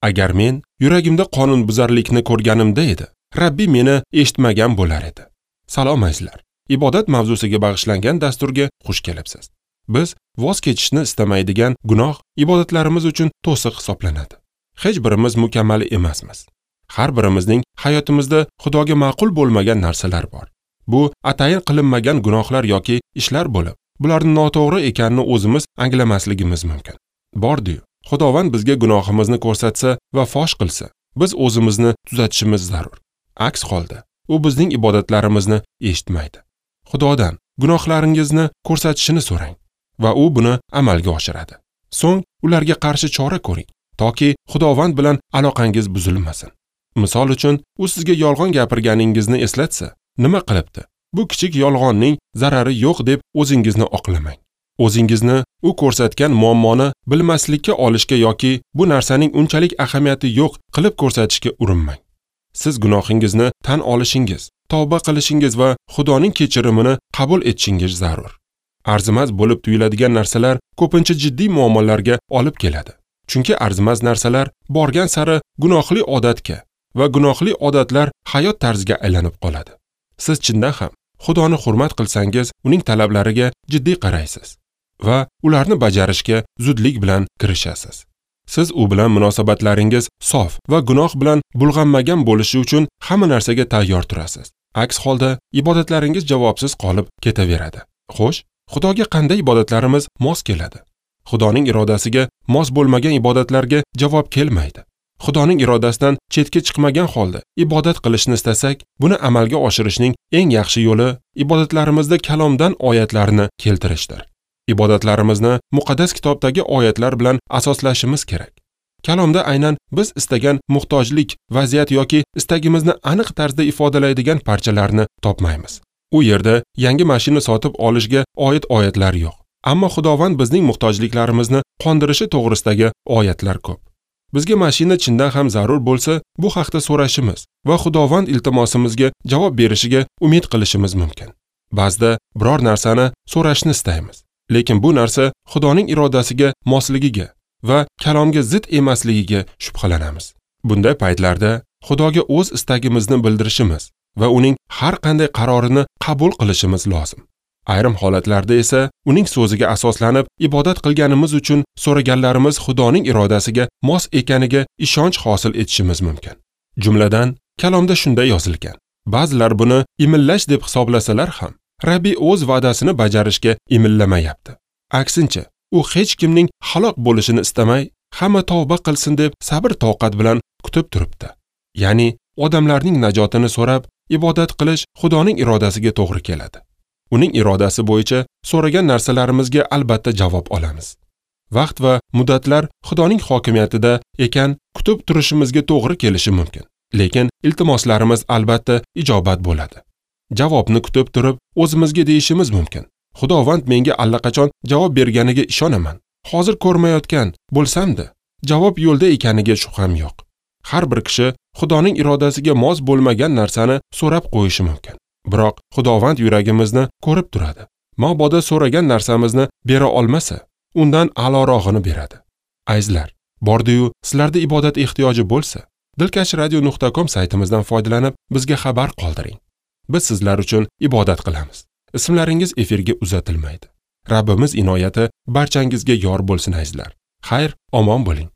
Agar men yuragimda qonunbuzarlikni ko'rganimda edi, Rabbi meni eshitmagan bo'lar edi. Salom azizlar. Ibodat mavzusiga bag'ishlangan dasturga xush kelibsiz. Biz voz kechishni istamaydigan gunoh ibodatlarimiz uchun to'siq hisoblanadi. Hech birimiz mukammal emasmiz. Har birimizning hayotimizda Xudoga ma'qul bo'lmagan narsalar bor. Bu atayin qilinmagan gunohlar yoki ishlar bo'lib, bularning noto'g'ri ekanini o'zimiz anglamasligimiz mumkin. Bordi-yu, Xudovand bizga gunohimizni ko'rsatsa va fosh qilsa, biz o'zimizni tuzatishimiz zarur. Aks holda, u bizning ibodatlarimizni eshitmaydi. Xudodan gunohlaringizni ko'rsatishini so'rang va u buni amalga oshiradi. So'ng ularga qarshi chora ko'ring, toki Xudovand bilan aloqangiz buzilmasin. Misol uchun, u sizga yolg'on gapirganingizni eslatsa, nima qilibdi? Bu kichik yolg'onning zarari yo'q deb o'zingizni oqlamang. O'zingizni u ko'rsatgan muammoni bilmaslikka olishga yoki bu narsaning unchalik ahamiyati yo'q qilib ko'rsatishga urinmang. Siz gunohingizni tan olishingiz, tavba qilishingiz va Xudoning kechirimini qabul etishingiz zarur. Arzimas bo'lib tuyuladigan narsalar ko'pincha jiddiy muammolarga olib keladi. Chunki arzimas narsalar borgan sari gunohli odatga va gunohli odatlar hayot tarziga aylanib qoladi. Siz chindan ham Xudoni hurmat qilsangiz, uning talablariga jiddiy qaraysiz va ularni bajarishga zudlik bilan kirishasiz. Siz u bilan munosabatlaringiz sof va gunoh bilan bulg'anmagan bo'lishi uchun hamma narsaga tayyor turasiz. Aks holda ibodatlaringiz javobsiz qolib ketaveradi. Xo'sh, Xudoga qanday ibodatlarimiz mos keladi? Xudoning irodasiga mos bo'lmagan ibodatlarga javob kelmaydi. Xudoning irodasidan chetga chiqmagan holda ibodat qilishni istasak, buni amalga oshirishning eng yaxshi yo'li ibodatlarimizda kalomdan oyatlarni keltirishdir. Ibodatlarimizni muqaddas kitobdagi oyatlar bilan asoslashimiz kerak. Kalomda aynan biz istagan muhtojlik, vaziyat yoki istagimizni aniq tarzda ifodalaydigan parchalarni topmaymiz. U yerda yangi mashina sotib olishga oid oyatlar yo'q. Ammo Xudovand bizning muhtojliklarimizni qondirishi to'g'risidagi oyatlar ko'p. Bizga mashina chindan ham zarur bo'lsa, bu haqda so'rashimiz va Xudovand iltimosimizga javob berishiga umid qilishimiz mumkin. Ba'zida biror narsani so'rashni istaymiz, lekin bu narsa Xudoning irodasiga mosligiga va kalomga zid emasligiga shubhalanamiz. Bunday paytlarda Xudoga o'z istagimizni bildirishimiz va uning har qanday qarorini qabul qilishimiz lozim. Ayrim holatlarda esa uning so'ziga asoslanib ibodat qilganimiz uchun so'raganlarimiz Xudoning irodasiga mos ekaniga ishonch hosil etishimiz mumkin. Jumladan, kalomda shunday yozilgan: ba'zilar buni imillash deb hisoblasalar ham, Rabbi o'z va'dasini bajarishga imillamayapti. Aksincha, u hech kimning halok bo'lishini istamay, hamma tavba qilsin deb sabr toqat bilan kutib turibdi. Ya'ni odamlarning najotini so'rab ibodat qilish Xudoning irodasiga to'g'ri keladi. Uning irodasi bo'yicha so'ragan narsalarimizga albatta javob olamiz. Vaqt va muddatlar Xudoning hokimiyatida ekan, kutib turishimizga to'g'ri kelishi mumkin. Lekin iltimoslarimiz albatta ijobat bo'ladi. Javobni kutib turib, o'zimizga deyishimiz mumkin: Xudovand menga allaqachon javob berganiga ishonaman. Hozir ko'rmayotgan bo'lsam-da, javob yo'lda ekaniga shubham yo'q. Har bir kishi Xudoning irodasiga mos bo'lmagan narsani so'rab qo'yishi mumkin. Biroq Xudovand yuragimizni ko'rib turadi. Mabodo so'ragan narsamizni bera olmasa, undan a'lorog'ini beradi. Azizlar, bordi-yu sizlarda ibodat ehtiyoji bo'lsa, dilkashradio.com saytimizdan foydalanib bizga xabar qoldiring. Biz sizlar uchun ibodat qilamiz. Ismlaringiz efirga uzatilmaydi. Rabbimiz inoyati barchangizga yor bo'lsin azizlar. Xayr, omon bo'ling.